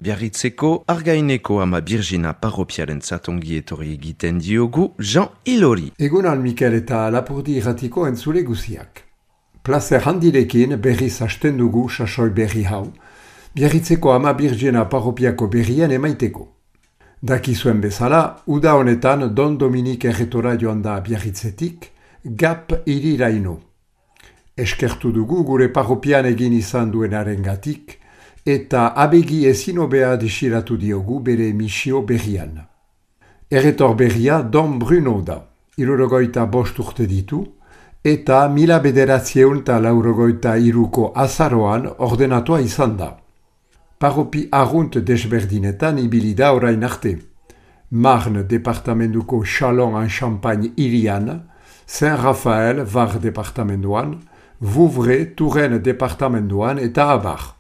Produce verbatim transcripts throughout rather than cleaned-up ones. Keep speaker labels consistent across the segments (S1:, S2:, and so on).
S1: Biarritzeko Argaineko ama Birjina parropiaren zatongi etorri egiten diogu Jean Ilori.
S2: Egunan Mikel eta Lapurdi irratiko entzule guziak. Plazer handirekin berriz hasten dugu sasoi berri hau, Biarritzeko ama Birjina parropiako berrien emaiteko. Dakizuen bezala, uda honetan Don Dominik erretora joan da Biarritzetik, Gap iriraino. Eskertu dugu gure parropian egin izan duenaren gatik, eta abegi ezin hobea desiratu diogu bere misio berrian. Erretor berria Don Bruno da, hirurogeita bost urte ditu, eta mila bederatzieun eta laurogeita hiruko azaroan ordenatua izan da. Parropi arrunt desberdinetan ibili da orain arte. Marne departamentuko Chalon-en-Champagne irian, Saint-Raphaël Var departamentuan, Vouvray Touraine departamentuan eta abar.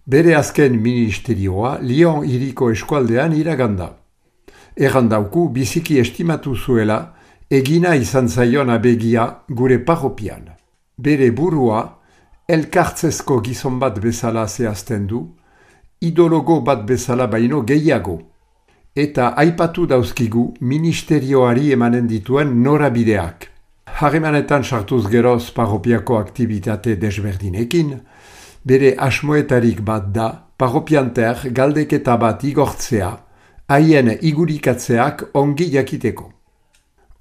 S2: Bere azken ministerioa Lyon hiriko eskualdean iraganda. Errandauku biziki estimatu zuela egina izan zaion abegia gure parropian. Bere burua elkartzezko gizon bat bezala zehazten du, idologo bat bezala baino gehiago. Eta aipatu dauzkigu ministerioari emanen dituen norabideak. Harremanetan sartuz geroz parropiako aktibitate desberdinekin, bere asmoetarik bat da parropianter galdeketa bat igortzea, haien igurikatzeak ongi jakiteko.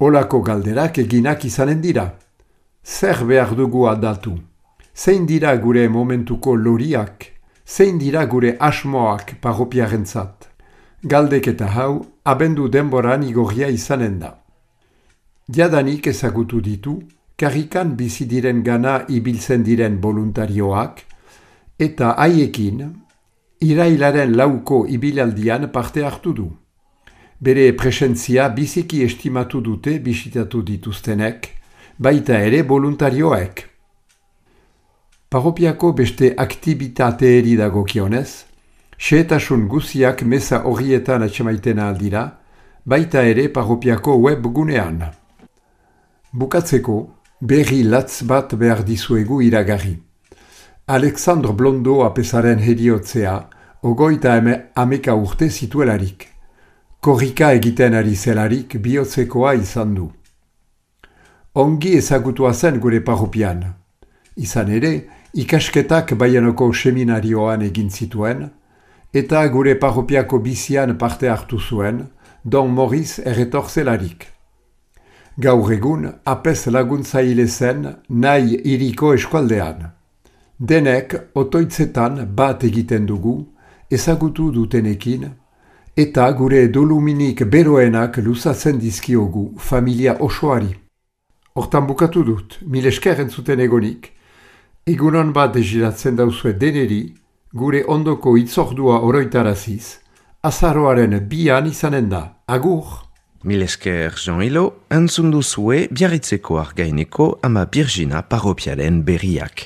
S2: Olako galderak eginak izanen dira. Zer behar dugu aldatu? Zein dira gure momentuko loriak? Zein dira gure asmoak parropiarentzat? Galdeketa hau abendu denboran igorria izanen da. Jadanik ezagutu ditu, karrikan bizi diren gana ibiltzen diren voluntarioak, eta haiekin, irailaren lauko ibilaldian parte hartu du. Bere presentzia biziki estimatu dute bisitatu dituztenek, baita ere voluntarioek. Parropiako beste aktibitateeri dagokionez, xehetasun guziak meza horrietan atxemaiten aldira, baita ere parropiako webgunean. Bukatzeko, berri latz bat behar dizuegu iragarri. Alexandre Blondo apesaren heriotzea, ogoita ameka urte zituelarik. Korrika egiten ari zelarik bihotzekoa izan du. Ongi ezagutua zen gure parropian. Izan ere, ikasketak Baianoko seminarioan egin zituen, eta gure parropiako bizian parte hartu zuen, Don Maurice erretor zelarik. Gaur egun, apez laguntzaile zen nahi hiriko eskualdean. Denek otoitzetan bat egiten dugu, ezagutu dutenekin, eta gure doluminik beroenak luzatzen dizkiogu familia osoari. Hortan bukatu dut, mil esker entzuten egonik, egunon bat desiratzen dauzue deneri, gure ondoko itzordua oroitaraziz, azaroaren bian izanen da. Agur!
S1: Mil esker Jean Ilo, entzun duzue Biarritzeko Argaineko ama Birjina parropiaren berriak.